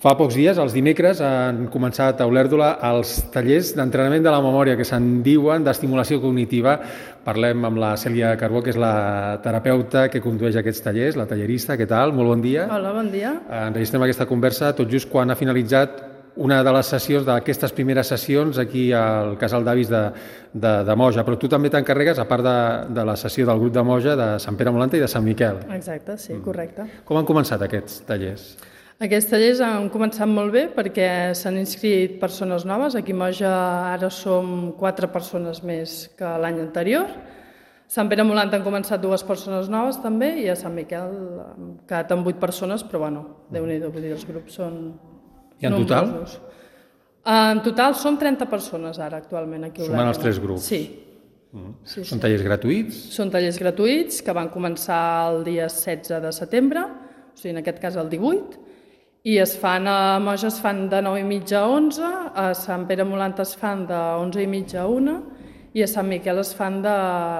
Fa pocs dies, els dimecres, han començat a Olèrdola els tallers d'entrenament de la memòria, que se'n diuen d'estimulació cognitiva. Parlem amb la Cèlia Carbó, que és la terapeuta que condueix aquests tallers, la tallerista. Què tal? Molt bon dia. Hola, bon dia. Enregistrem aquesta conversa tot just quan ha finalitzat una de les sessions d'aquestes primeres sessions aquí al Casal d'Avis de Moja, però tu també t'encarregues, a part de la sessió del grup de Moja, de Sant Pere Molanta i de Sant Miquel. Exacte, sí, correcte. Com han començat aquests tallers? Aquests tallers han començat molt bé perquè s'han inscrit persones noves. Aquí a Moja ara som 4 persones més que l'any anterior. A Sant Pere Molanta han començat 2 persones noves també i a Sant Miquel han quedat amb 8 persones, però bueno, Déu-n'hi-do, vull dir, els grups són I en total? nombrosos. En total som 30 persones ara actualment aquí a Olèrdola. Sumant els 3 grups? Sí. Són tallers gratuïts? Són tallers gratuïts que van començar el dia 16 de setembre, o sigui, en aquest cas el 18, i es fan a Moja es fan de 9:30 a 11, a Sant Pere Molanta es fan de 11:30 a 1 i a Sant Miquel es fan de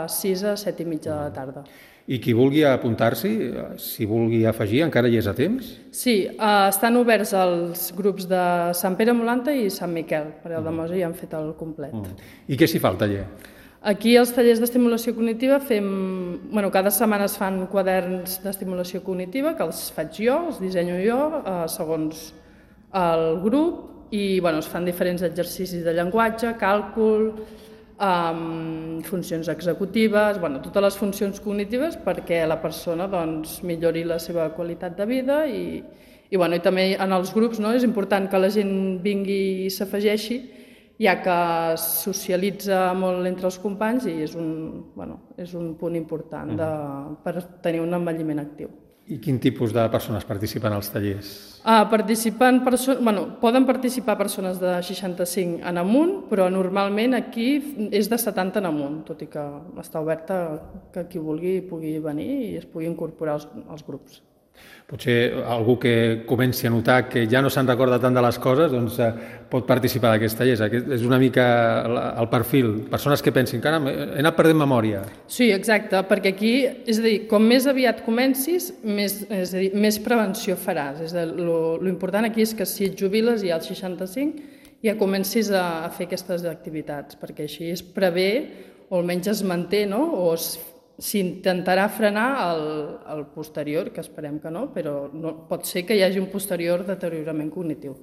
6 a 7:30 de la tarda. I qui vulgui apuntar-s'hi, si vulgui afegir, encara hi és a temps? Sí, estan oberts els grups de Sant Pere Molanta i Sant Miquel, perquè el de Moja ja han fet el complet. I què s'hi fa al taller? Aquí als tallers d'estimulació cognitiva cada setmana es fan quaderns d'estimulació cognitiva que els faig jo, els dissenyo jo, segons el grup, i es fan diferents exercicis de llenguatge, càlcul, funcions executives, totes les funcions cognitives perquè la persona millori la seva qualitat de vida i també en els grups és important que la gent vingui i s'afegeixi, ja que socialitza molt entre els companys i és un punt important per tenir un envelliment actiu. I quin tipus de persones participen als tallers? Poden participar persones de 65 en amunt, però normalment aquí és de 70 en amunt, tot i que està oberta que qui vulgui pugui venir i es pugui incorporar als grups. Potser algú que comenci a notar que ja no se'n recorda tant de les coses pot participar d'aquests tallers. Aquest és una mica el perfil. Persones que pensin, caram, he anat perdent memòria. Sí, exacte, perquè aquí, és a dir, com més aviat comencis, més prevenció faràs. L'important aquí és que si et jubiles ja als 65 ja comencis a fer aquestes activitats, perquè així es prevé o almenys es manté, o s'intentarà frenar el posterior, que esperem que no, però pot ser que hi hagi un posterior deteriorament cognitiu.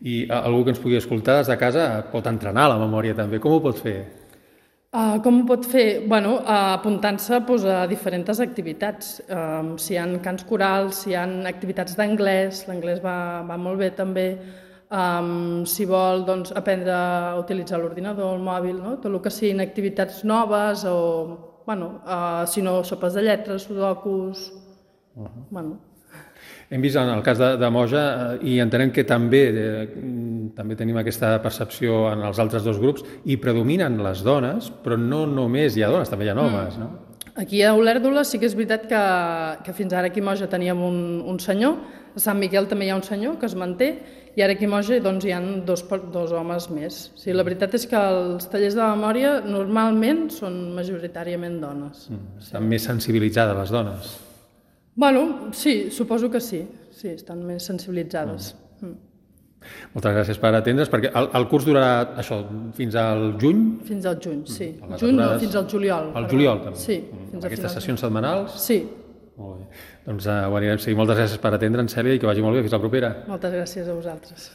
I algú que ens pugui escoltar des de casa pot entrenar la memòria també. Com ho pot fer? Com ho pot fer? Apuntant-se a diferents activitats. Si hi ha cants corals, si hi ha activitats d'anglès, l'anglès va molt bé també. Si vol aprendre a utilitzar l'ordinador, el mòbil, tot el que siguin activitats noves o si no, sopes de lletres, sudokus... Hem vist en el cas de Moja i entenem que també tenim aquesta percepció en els altres 2 grups i predominen les dones, però no només hi ha dones, també hi ha homes, no? Aquí a Olèrdola sí que és veritat que fins ara aquí a Moja teníem un senyor, a Sant Miquel també hi ha un senyor que es manté i ara aquí a Moja hi ha 2 homes més. La veritat és que els tallers de memòria normalment són majoritàriament dones. Estan més sensibilitzades les dones? Sí, suposo que sí. Sí, estan més sensibilitzades. Moltes gràcies per atendre's, perquè el curs durarà això fins al juny? Fins al juny, sí. Fins al juliol. Al juliol, també? Sí. Aquestes sessions setmanals? Sí. Molt bé. Doncs ho anirem a seguir. Moltes gràcies per atendre'ns, Cèlia, i que vagi molt bé. Fins la propera. Moltes gràcies a vosaltres.